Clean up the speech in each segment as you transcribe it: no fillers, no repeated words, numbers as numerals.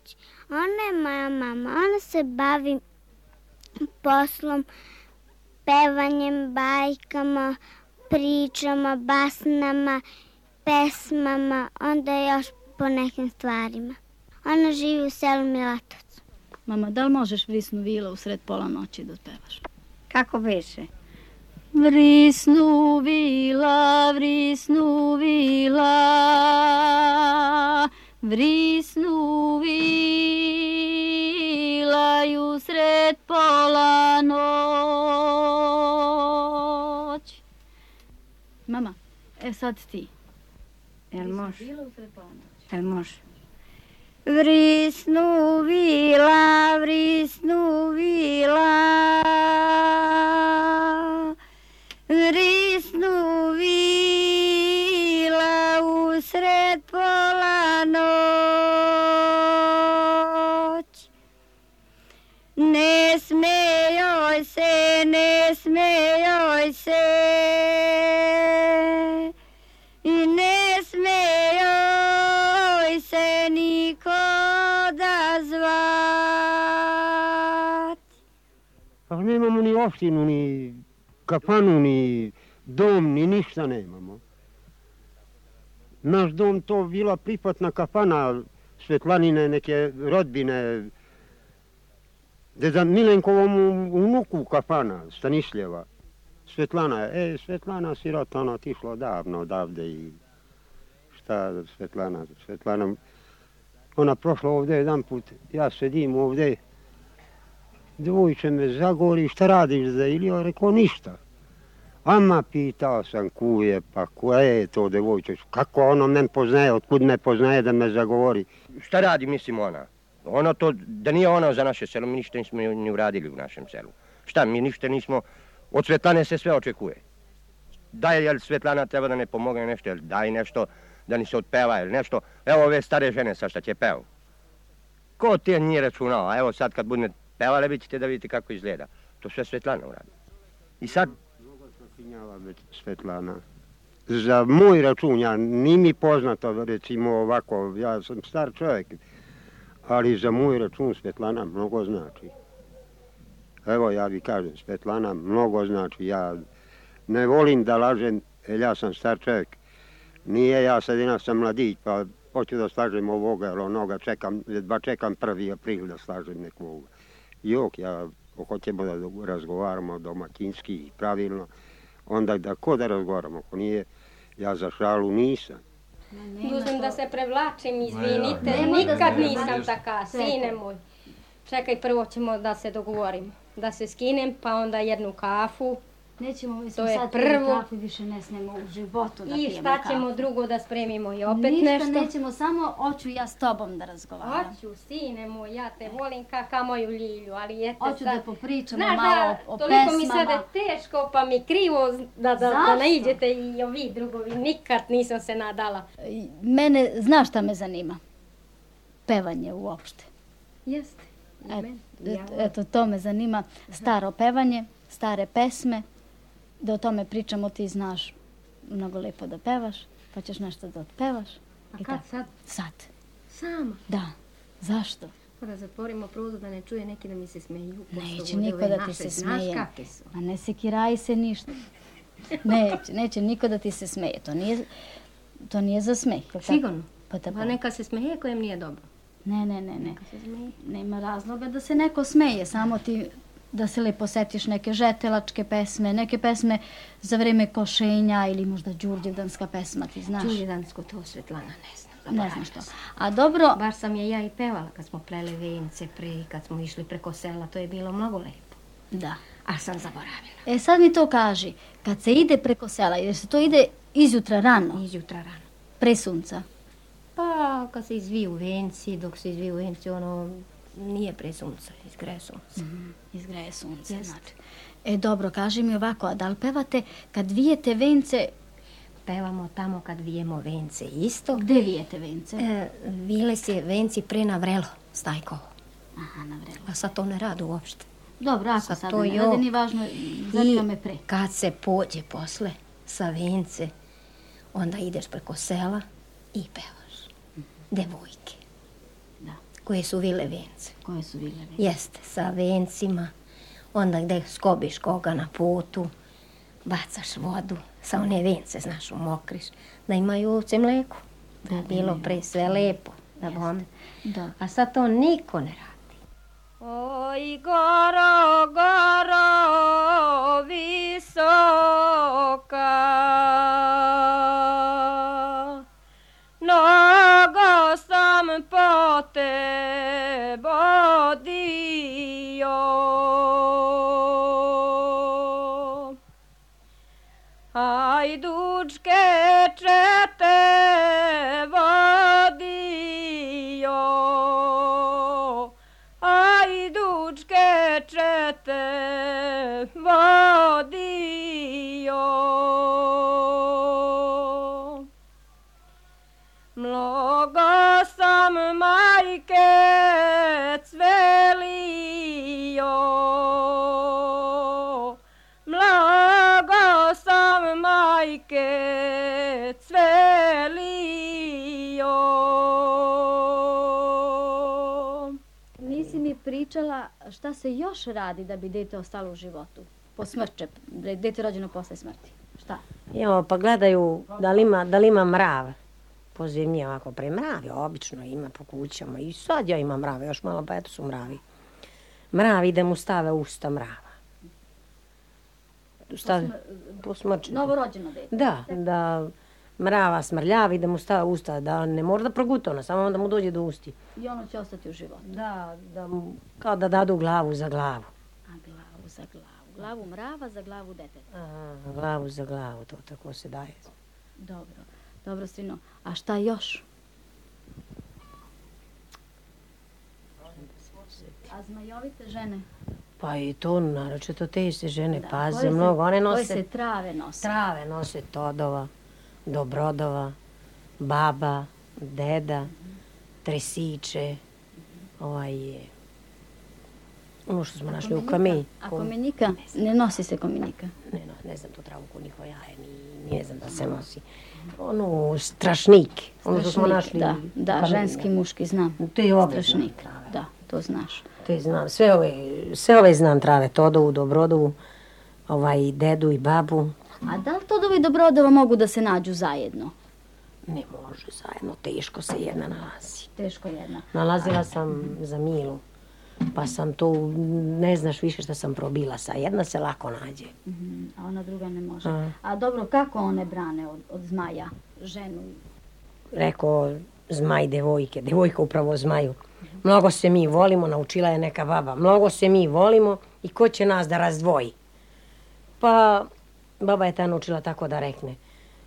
kući. Ona je moja mama, ona se bavi poslom, pevanjem, bajkama, pričama, basnama, pesmama, onda još po nekim stvarima. Ona živi u selu Milatovcu. Mama, da li možeš Vrisnu vila usred pola noći da pevaš? Kako beše? Vrisnu vila, vrisnu vila, vrisnu vila i usred pola noć. Mama, sad ti. Jel može? Vila usred pola noć. Jel može? Vrisnu vila, vrisnu vila, vrisnu vila usred pola noć. Ne smejoj se, ne smejoj se, i ne smejoj se niko odazvat. Pa nemamo ni opštinu, ni kafanu, ni dom, ni ništa nemamo. Naš dom to bila pripatna kafana Svetlanine neke rodbine, deda Milenkovom unuku kafana, Stanišljeva. Svetlana, Svetlana sirota, ona otišla davno odavde i šta Svetlana, ona prošla ovde jedan put, ja sedim ovde, dvojče me zagori, šta radiš za Ilija? Rekao, ništa. Ama pitao sam kuje, pa koja je to devojče, kako ono men poznaje, otkud me poznaje da me zagovori. Šta radi, mislim, ona? Ono to, da nije ona za naše selo, mi ništa nismo ni uradili u našem selu. Šta, mi ništa nismo, od Svetlane se sve očekuje. Daj, jel Svetlana treba da ne pomogne nešto, jel daj nešto da ni se otpeva, jel nešto. Evo ove stare žene sa šta će pevu. Ko ti je nije računao, a evo sad kad budete pevale, vi ćete da vidite kako izgleda. To sve Svetlana uradi. I sad... Mnogo sakinjava već Svetlana. Za moj račun, ja nije mi poznato, recimo ovako, ja sam star čovjek, ali za moj račun Svetlana mnogo znači. Evo ja vi kažem, Svetlana mnogo znači, ja ne volim da lažem, jer ja sam star čovjek. Nije ja sad sam mladić, pa hoću da slažem ovoga ili onoga, jedva čekam 1. april da slažem nekoga. Jok, ja hoćemo da razgovaramo domaćinski i pravilno, onda da ko da razgovaramo, ako nije, ja za šalu nisam. Dužem da se prevlačim, izvinite, nikad nisam taka, sine moj. Čekaj, prvo ćemo da se dogovorimo, da se skinem, pa onda jednu kafu. Nećemo, mi smo To je sad prvo. kafu više ne smemo u životu da pijemo kafu. I šta ćemo drugo da spremimo i opet Ništa nešto? Ništa nećemo, samo hoću ja s tobom da razgovaram. Hoću, sine moj, ja te volim ka moju Ljilju, ali jeste sad... Hoću da popričamo Znaš malo o pesmama. Toliko mi sada teško, pa mi krivo da naiđete i ovi drugovi. Nikad nisam se nadala. Mene, znaš šta me zanima? Pevanje uopšte. Jeste. Eto, to me zanima. Staro pevanje, stare pesme. Da o tome pričamo, ti znaš mnogo lepo da pevaš, pa ćeš nešto da otpevaš. A kad sad? Sad. Sama? Da. Zašto? Pa da zatvorimo prozor da ne čuje neki da mi se smeju. Neće niko da ti se smeje. A ne sekiraji se ništa. Neće niko da ti se smeje. To nije za smeh. Sigurno? Pa neka se smeje kojem nije dobro. Ne. Nema razloga da se neko smeje, samo ti da se lepo setiš neke žetelačke pesme, neke pesme za vreme košenja ili možda Đurđevdanska pesma, ti znaš. Đurđevdansko, to Svetlana ne znam. Ne znaš to. A dobro... Bar sam je ja i pevala kad smo pleli vence pre, kad smo išli preko sela, to je bilo mnogo lepo. Da. A sam zaboravila. Sad mi to kaži, kad se ide preko sela, jer se to ide izjutra rano? Izjutra rano. Pre sunca? Pa kad se izviju venci, dok se izviju venci, ono... Nije pre sunca, izgreje sunce. Izgreje sunce, znači. Dobro, kaži mi ovako, a da li pevate kad vijete vence? Pevamo tamo kad vijemo vence isto. Gde vijete vence? Vile se venci pre na vrelo, Stajkovo. Aha, na vrelo. A sad to ne rade uopšte. Dobro, ako sad ne rade, ni važno, zanima me pre. Kad se pođe posle sa vence, onda ideš preko sela i pevaš. Devojke. koje su vile vence. Koje su vile vence? Jeste, sa vencima. Onda gde skobiš koga na putu, bacaš vodu, sa one vence, znaš, umokriš, da imaju ovce mleku. Da je bilo pre sve lepo, da bome. Da. A sad to niko ne radi. Oj, goro, goro, visoka, mnogo sam po te vodio, hajdučke čete vodio, hajdučke čete vodio. Mnogo sam majke cvelio, mnogo sam majke cvelio. Nisi mi pričala šta se još radi da bi dete ostalo u životu? Po smrće, dete rođeno posle smrti. Šta? Jo, pa gledaju da li ima mrav. Po zemlji ovako premravi, obično ima po kućama. I sad ja imam mrave, još malo pa eto su mravi. Mravi da mu stave usta mrava. Po smrći. Novorođeno dete. Da mrava smrljavi, da mu stave usta, da ne mora da proguta ona, samo da mu dođe do usti. I ono će ostati u životu. Kao da dadu glavu za glavu. A glavu za glavu. Glavu mrava za glavu deteta. Glavu za glavu, to tako se daje. Dobro, sino. A šta još? A zmajovite žene? Pa i to, naročito te se žene paze mnogo. One koje se trave nose? Trave nose Todova, Dobrodova, baba, deda, tresiče, ono što smo našli u kamenju. A komenika? Ne nosi se komenika? Ne znam tu travu ko njihovo jaje, ne znam da se nosi. Ono, strašnik, ono što smo našli. Da, ženski, muški, znam. To je obe strašnik. trave. Da, to znaš. To je znam, sve ove znam trave, Todovu, Dobrodovu, dedu i babu. A da li Todova i Dobrodova mogu da se nađu zajedno? Ne može zajedno, teško se jedna nalazi. Teško jedna. Nalazila sam za Milu, pa sam to, ne znaš više šta sam probila, jedna se lako nađe. A ona druga ne može. A dobro, kako one brane od zmaja, ženu? Rekao zmaj devojke, devojka upravo zmaju. Mnogo se mi volimo, naučila je neka baba, mnogo se mi volimo i ko će nas da razdvoji? Pa baba je ta naučila tako da rekne.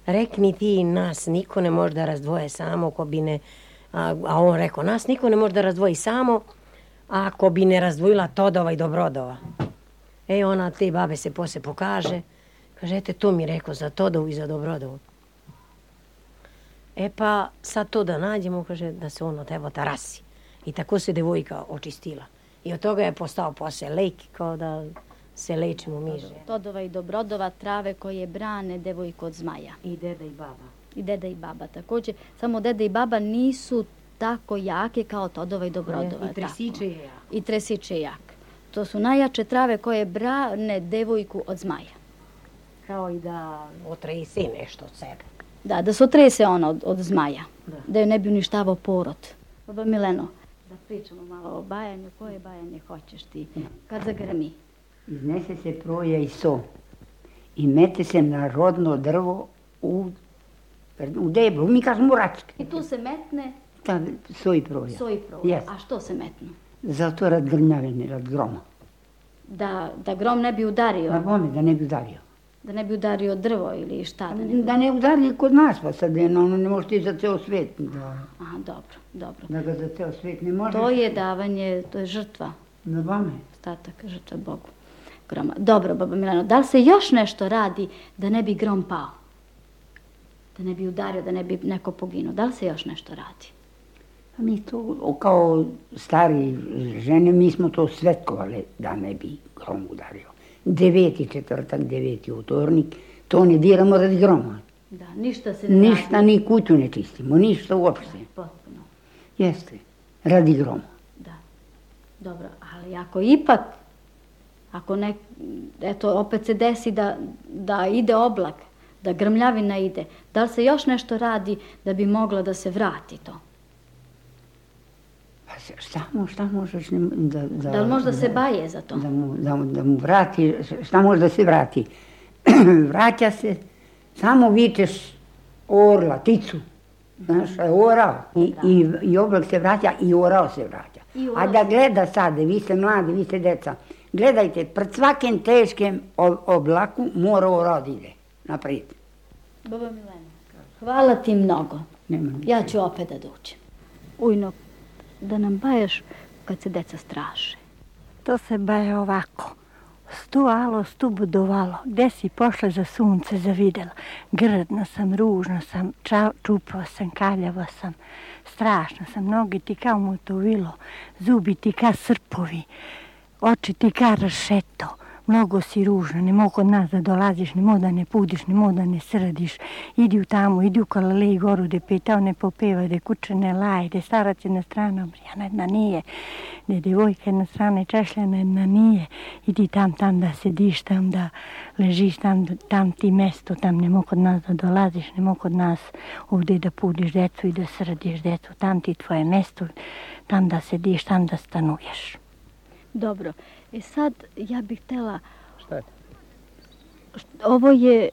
Rekni ti nas, niko ne može da razdvoje samo ko bi ne... A on rekao, nas niko ne može da razdvoji samo ako bi ne razdvojila Todova i Dobrodova. Ona te babe se posle pokaže. Kaže, ete, to mi rekao za Todovu i za Dobrodovu. Pa sad to da nađemo, kaže, da se on od teba tarasi. I tako se devojka očistila. I od toga je postao posle lek, kao da se lečimo miže. Todova i Dobrodova, trave koje brane devojku od zmaja. I deda i baba. I deda i baba također. Samo deda i baba nisu tako jake kao Todova i Dobrodova. I tresiče je jak. I tresiče je jak. To su najjače trave koje brane devojku od zmaja. Kao i da otrese nešto od sebe. Da se otrese ona od zmaja. Da joj ne bi uništavao porod. Baba Mileno, da pričamo malo o bajanju. Koje bajanje hoćeš ti? Kad zagrmi? Iznese se proja i so i mete se na rodno drvo u deblu, mi kažemo račke. I tu se metne? So i proja. So i proja. A što se metnu? Zato rad grmljavine, rad groma. Da grom ne bi udario? Na bome, da ne bi udario. Da ne bi udario drvo ili šta? Da ne udari kod nas, pa sad ono ne može ti za ceo svet. Aha, dobro. Da ga za ceo svet ne može. To je davanje, to je žrtva. Na bome. Ostatak, žrtva Bogu. Groma. Dobro, baba Milano, da li se još nešto radi da ne bi grom pao? Da ne bi udario, da ne bi neko poginuo? Da li se još nešto radi? Mi to, kao stari žene, mi smo to svetkovali da ne bi grom udario. 9. četvrtak, 9. utornik, to ne diramo radi groma. Da, ništa se ne radi. Ništa, ni kuću ne čistimo, ništa uopšte. Potpuno. Jeste, radi groma. Dobro, ali ako ipak, eto, opet se desi da ide oblak, da grmljavina ide, da li se još nešto radi da bi moglo da se vrati to? Pa šta možeš da li možda se baje za to? Da mu vrati, šta može da se vrati? Vraća se, samo vičeš orla, ticu. Znaš, orao. I oblak se vraća i orao se vraća. A da gleda sad, vi ste mladi, vi ste deca, gledajte, pred svakim teškim oblaku mora orao da ide naprijed. Baba Milena, hvala ti mnogo. Ja ću opet da dođem. Ujno, da nam bajaš kad se deca straše. To se baje ovako. Stu alo, stu budovalo, gde si pošla za sunce zavidela. Grdna sam, ružna sam, čupava sam, kaljava sam, strašna sam, noge ti kao motovilo, zubi ti kao srpovi, oči ti kao rašeto. Mnogo si ružna, ne mogu od nas da dolaziš, ne mogu da ne pudiš, ne mogu da ne srdiš. Idi u tamo, idi u Kalalej goru, gde petao ne popeva, gde kuće ne laje, gde starac jedna strana obrijana, jedna nije, gde devojka jedna strana i češljana, jedna nije. Idi tam da sediš, tam da ležiš, tam ti mesto, tam ne mogu od nas da dolaziš, ne mogu od nas ovdje da pudiš decu i da srdiš decu, tam ti tvoje mesto, tam da sediš, tam da stanuješ. Dobro, sad ja bih htjela... Šta je? Ovo je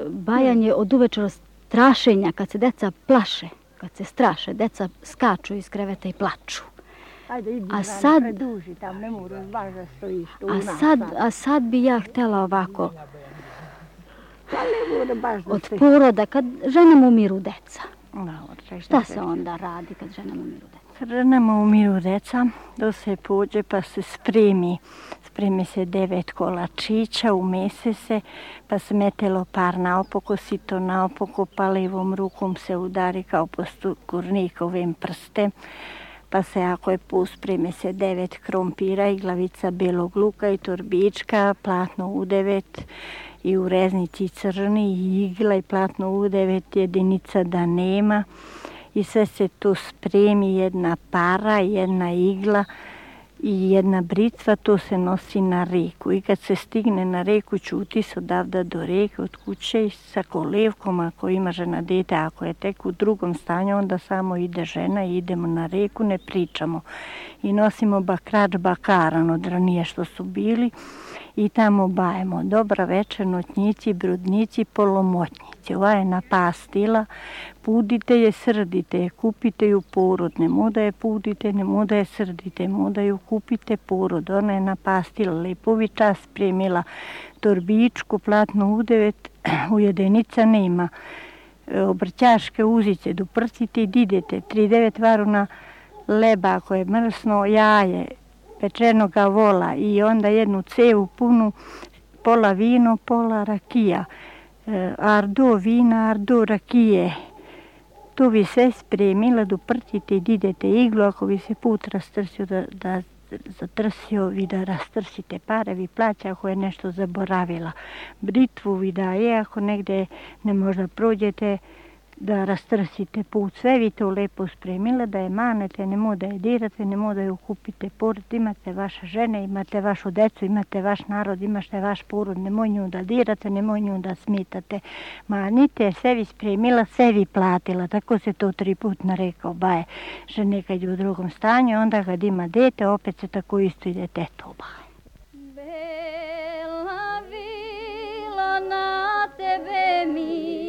bajanje od uvečera strašenja, kad se deca plaše, kad se straše, deca skaču iz kreveta i plaču. Ajde, idi preduži tam, ne moraš baš da stojiš tu. A sad bi ja htjela ovako, od poroda, kad ženama umiru deca. Šta se onda radi kad ženama umiru deca? Ženama umiru deca, da se pođe pa se spremi se 9 kolačića, umese se, pa se mete lopar naopako, sito naopako, pa levom rukom se udari kao po kurnikovim prste, pa se ako je spreme se 9 krompira i glavica belog luka i torbička, platno u 9 i u reznici crni i igla i platno u 9 jedinica da nema. I sve se tu spremi, jedna para, jedna igla i jedna britva, to se nosi na reku. I kad se stigne na reku, čuti se odavda do reke, od kuće sa kolevkom, ako ima žena dete, ako je tek u drugom stanju, onda samo ide žena i idemo na reku, ne pričamo. I nosimo bakrač bakaran od ranije što su bili i tamo bajemo. Dobra večer, notnjici, brudnici, polomotnjici. Ova je napastila, pudite je, srdite je, kupite ju porod. Ne moda je pudite, ne moda je srdite, moda ju kupite porod. Ona je napastila, lepovi čas spremila torbičku, platno u 9, ujedenica nema. Obrćaške uzice, duprcite i didete, 3-9 varuna leba ako je mrsno, jaje, pečenoga vola i onda jednu cevu punu, pola vino, pola rakija. Ardo vina, ardo rakije. To bi sve spremila, duprtite i didete iglu, ako bi se put rastrsio da zatrsio, vi da rastrsite pare, vi plaća ako je nešto zaboravila. Britvu vi daje, ako negde ne možda prođete, da rastrsite put. Sve vi to lepo spremila, da je manete, ne moda je dirate, ne moda ju kupite porod, imate vaše žene, imate vašu decu, imate vaš narod, imate vaš porod, nemoj nju da dirate, nemoj nju da smitate. Manite, sve vi spremila, sve vi platila, tako se to 3 put narekao baje. Žene kad je u drugom stanju, onda kad ima dete, opet se tako isto ide teto baje. Bela vila na tebe mi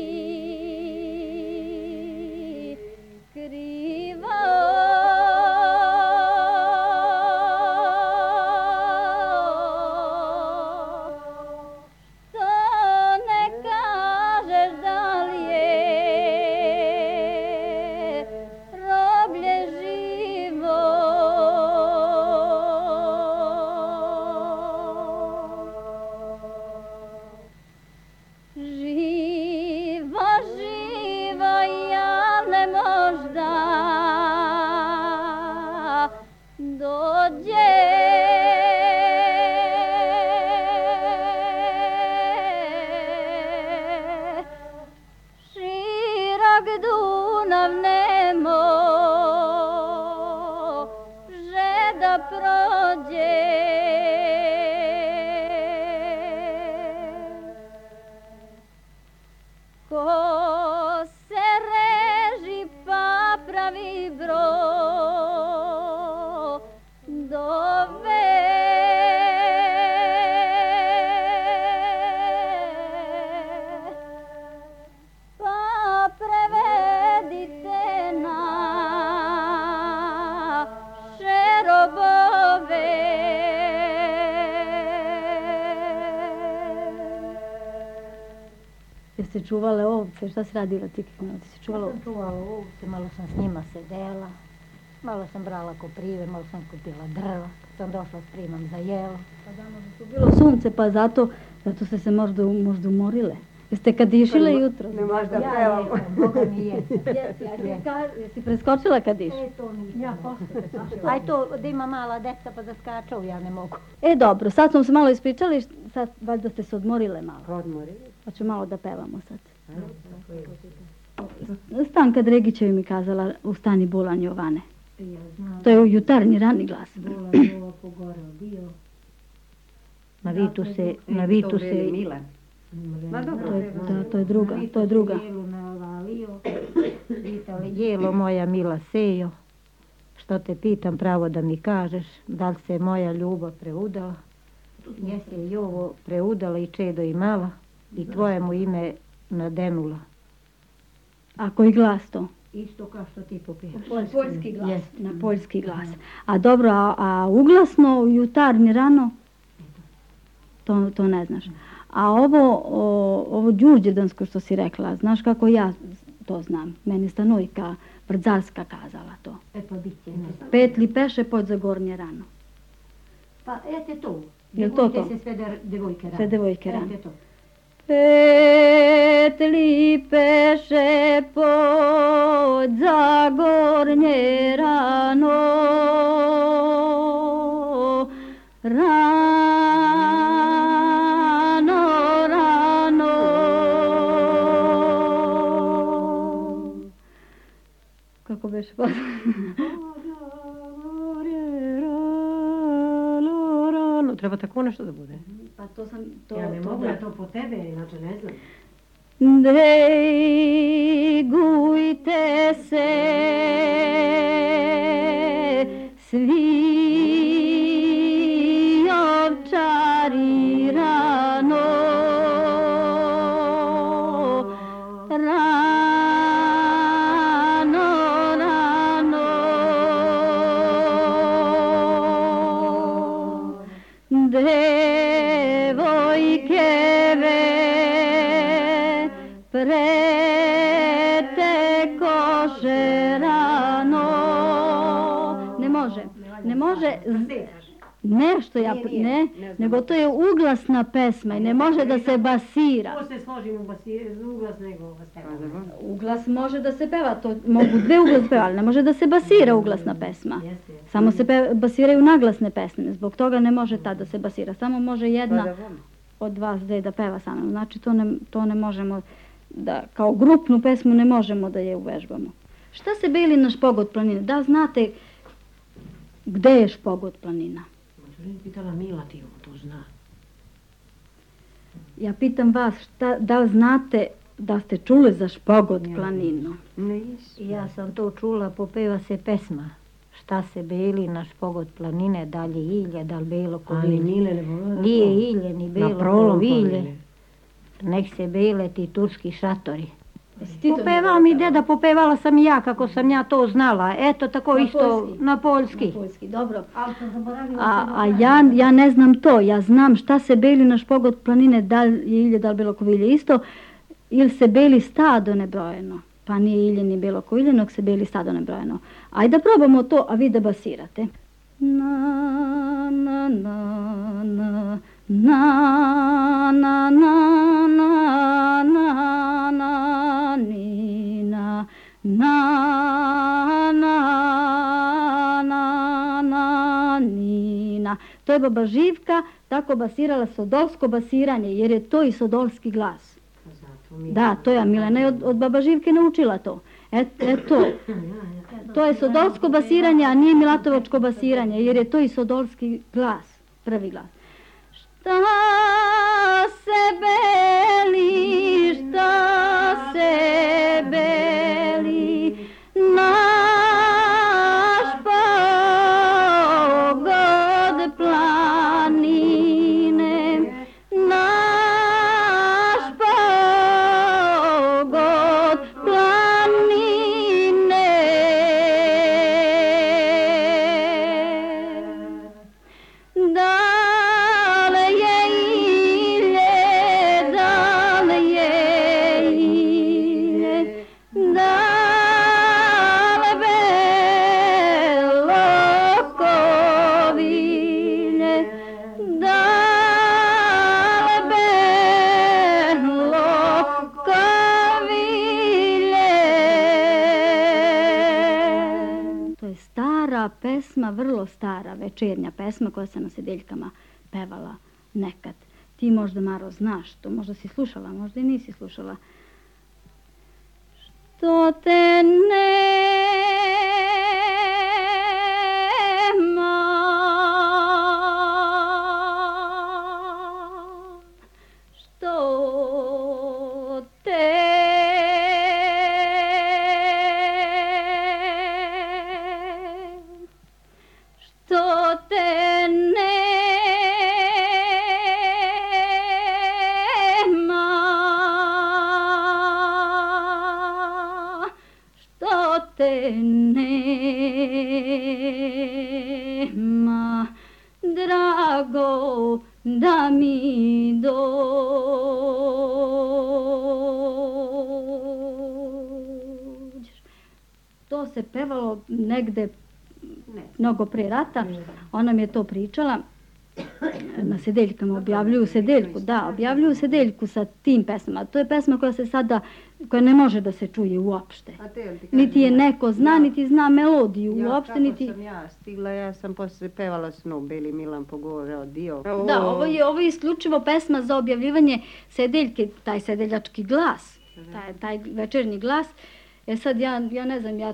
Dunav nemo, že da prođe. Ko se reži pa pravi brodove, pa prevedite naše robove. Jeste čuvale ovce? Šta si radila ti kako ti si čuvala ovce? Čuvala ovce, malo sam s njima sedela, malo sam brala koprive, malo sam kupila drva, kad sam došla spremam za jelo. Pa danas je bilo sunce, pa zato ste se možda umorile. Jeste kadišile jutro? Ne možda pevamo. Boga mi jesam. Jesi preskočila kadiš? To nisam. Ja posle preskočila. Aj to da ima mala deca pa da skaču, ja ne mogu. Dobro, sad smo se malo ispričali, sad valjda ste se odmorile malo. Odmorili. Pa ću malo da pevamo sad. Stanka Dregićevi mi kazala u stani Bulan Jovane. To je u jutarnji rani glas. Bulan Jova pogoreo bio. Na Vitu se... Milan. To je druga. Jelo navalio, jelo moja mila sejo, što te pitam pravo da mi kažeš, da li se moja ljubav preudala, jesi i ovo preudala i čedo imala i tvojemu ime nadenula. A koji glas to? Isto kao što ti popijaš. Poljski glas. Na poljski glas. A dobro, a uglasno jutarnji rano? To ne znaš. A ovo đurđevdansko što si rekla, znaš kako ja to znam? Meni Stanojka Brdzarska kazala to. Pa bit će. Petli peše pod za gornje rano. Pa ete to. Jel to to? Se sve devojke rano. Sve devojke rano. Ete to. Petli peše pod za gornje rano, Kako beše pa? Treba tako nešto da bude. Pa to sam... Ja ne mogu, ja to po tebe, inače ne znam. Degujte se svi ovčari rano, devojkeve prete koše rano. Ne može nešto nego to je uglasna pesma i ne može da se basira. Ko se složim u uglas nego peva? Uglas može da se peva, to mogu dve uglas peva, ali ne može da se basira uglasna pesma. Samo se basiraju naglasne pesme, zbog toga ne može ta da se basira. Samo može jedna od vas dve da peva samo. Znači to ne možemo da, kao grupnu pesmu ne možemo da je uvežbamo. Šta se bili na Špogot planine? Da znate gde je Špogot planina? Pitala Mila ti to zna. Ja pitam vas, da li znate da ste čuli za Špogot planinu? Ja sam to čula, popeva se pesma. Šta se beli na Špogot planine, da li je ilje, da li belo ko vilje. Nije ilje, ni belo ko vilje. Nek se bele ti turski šatori. Popevala mi deda, popevala sam i ja kako sam ja to znala. Eto tako isto na poljski. Dobro. A ja ne znam to. Ja znam šta se beli na Špogot planine, da li je ilje, da li bilo ko vilje isto. Ili se beli stado nebrojeno. Pa nije ilje ni bilo ko ilje, nog se beli stado nebrojeno. Ajde da probamo to, a vi da basirate. Na, na, na, na, na, na, na, na, na, na, ni, na, na, na, na, na, ni, na. To je baba Živka tako basirala sodolsko basiranje, jer je to i sodolski glas. Da, to ja Milena je od baba Živke naučila to. To je sodolsko basiranje, a nije milatovačko basiranje, jer je to i sodolski glas, prvi glas. Šta se beli, naš pogod planine, naš pogod planine. Dale je ilje, dale je ilje, dale belo kovilje, dale belo kovilje. To je stara pesma, vrlo stara večernja pesma koja se na sedeljkama pevala nekad. Ti možda, Maro, znaš to, možda si slušala, možda i nisi slušala. Što te nema, što te nema, drago da mi dođeš. To se pevalo negde mnogo pre rata, ona mi je to pričala. Na sedeljkama objavljuju sedeljku, da, objavljuju sedeljku sa tim pesmama. To je pesma koja se sada, koja ne može da se čuje uopšte. Niti je neko zna, niti zna melodiju uopšte, niti... Kako sam ja stigla, ja sam posle pevala Snu, Beli Milan pogovorao dio. Da, ovo je isključivo pesma za objavljivanje sedeljke, taj sedeljački glas, taj večernji glas. Sad ja ne znam, ja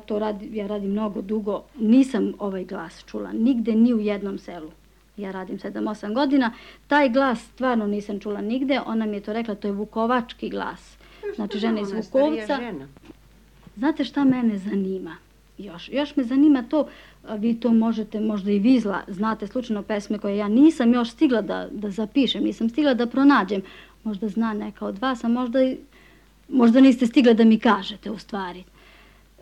radim mnogo dugo, nisam ovaj glas čula, nigde, ni u jednom selu. Ja radim 7-8 godina, taj glas stvarno nisam čula nigde, ona mi je to rekla, to je vukovački glas. Znači žena iz Vukovca. Znate šta mene zanima? Još me zanima to, vi to možete, možda i vi znate slučajno pesme koje ja nisam još stigla da zapišem, nisam stigla da pronađem. Možda zna neka od vas, a možda niste stigla da mi kažete u stvari.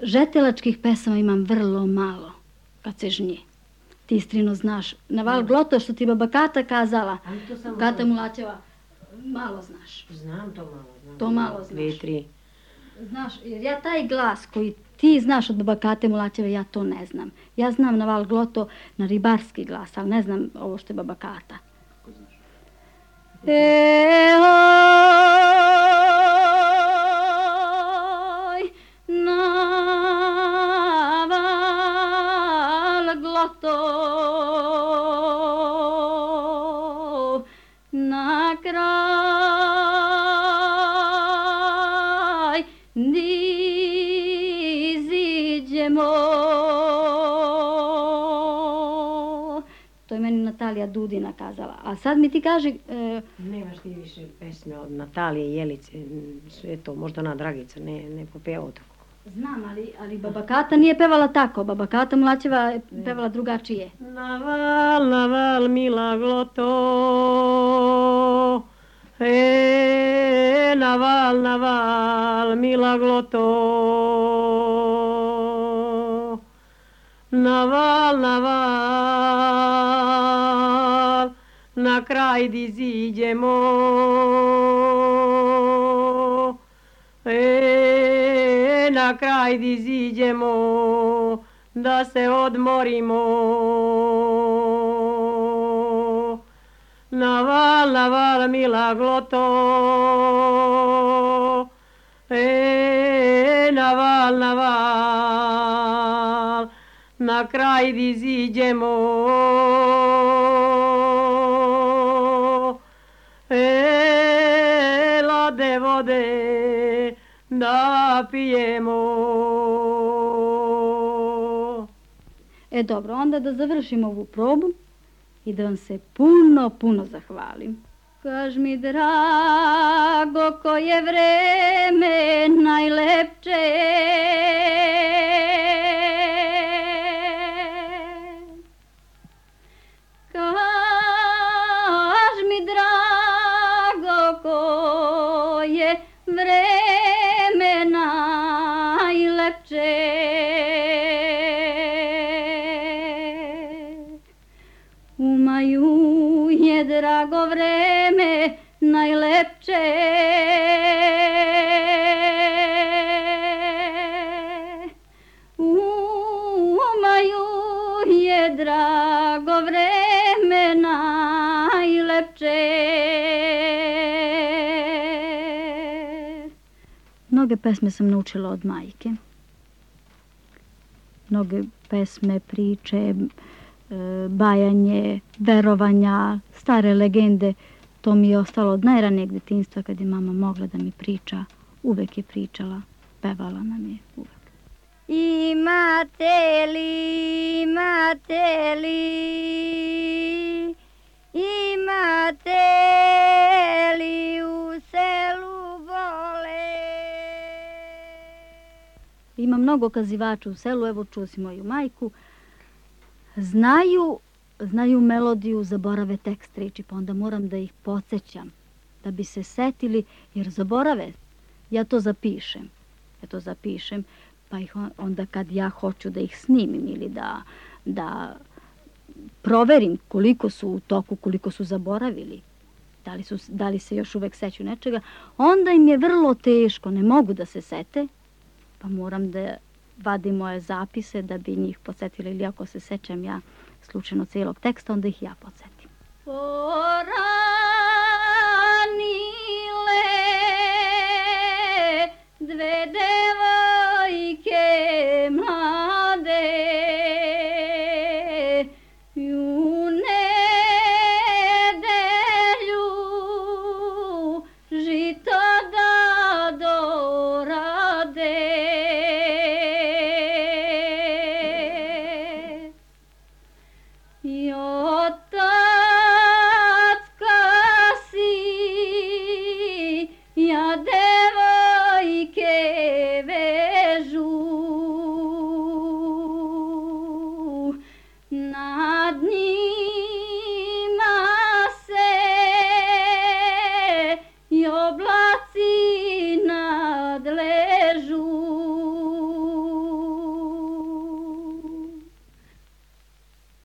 Žetelačkih pesama imam vrlo malo kad se žnje. Ti, Strino, znaš, na val gloto što ti baba Kata kazala, Kata Mulaćeva, malo znaš. Znam to malo, znam. To malo znaš. 2-3. Znaš, jer ja taj glas koji ti znaš od baba Kate Mulaćeve, ja to ne znam. Ja znam na val gloto, na ribarski glas, ali ne znam ovo što je baba Kata. Ko znaš? Na kraj iziđemo. To je meni Natalija Dudina kazala. A sad mi ti kaži... Nemaš ti više pesme od Natalije, Jelice, sve to, možda ona Dragica, ne popevao tako. Znam, ali baba Kata nije pevala tako. Baba Kata Mulaćeva je pevala drugačije. Na val, mila gloto, na val, mila gloto, na val, na kraj di ziđemo, na kraj di ziđemo, da se odmorimo. Na val, mila gloto, na val, na kraj di ziđemo. Lade vode da pijemo. Dobro, onda da završimo ovu probu i da vam se puno, puno zahvalim. Kaž mi, drago, koje vreme najlepše, kaž mi, drago, koje vreme najlepše. Umaju je drago vreme najlepše, umaju je drago vreme najlepše. Mnoge pesme sam naučila od majke. Mnoge pesme, priče, bajanje, verovanja, stare legende, to mi je ostalo od najranijeg detinjstva kad je mama mogla da mi priča. Uvek je pričala, pevala nam je uvek. Imate li u selu vole? Ima mnogo kazivača u selu, evo čuo si moju majku. Znaju melodiju, zaborave tekst reči, pa onda moram da ih podsjećam, da bi se setili, jer zaborave. Ja to zapišem, pa ih onda kad ja hoću da ih snimim ili da proverim koliko su u toku, koliko su zaboravili, da li se još uvek seću nečega, onda im je vrlo teško, ne mogu da se sete, pa moram da vadim moje zapise da bi njih podsjetila, ili ako se sećam ja slučajno cijelog teksta, onda ih ja podsjetim. Poranile dve devojke mlade, u nedelju žito da dorade. I otac kasi, ja devojke vežu, nad njim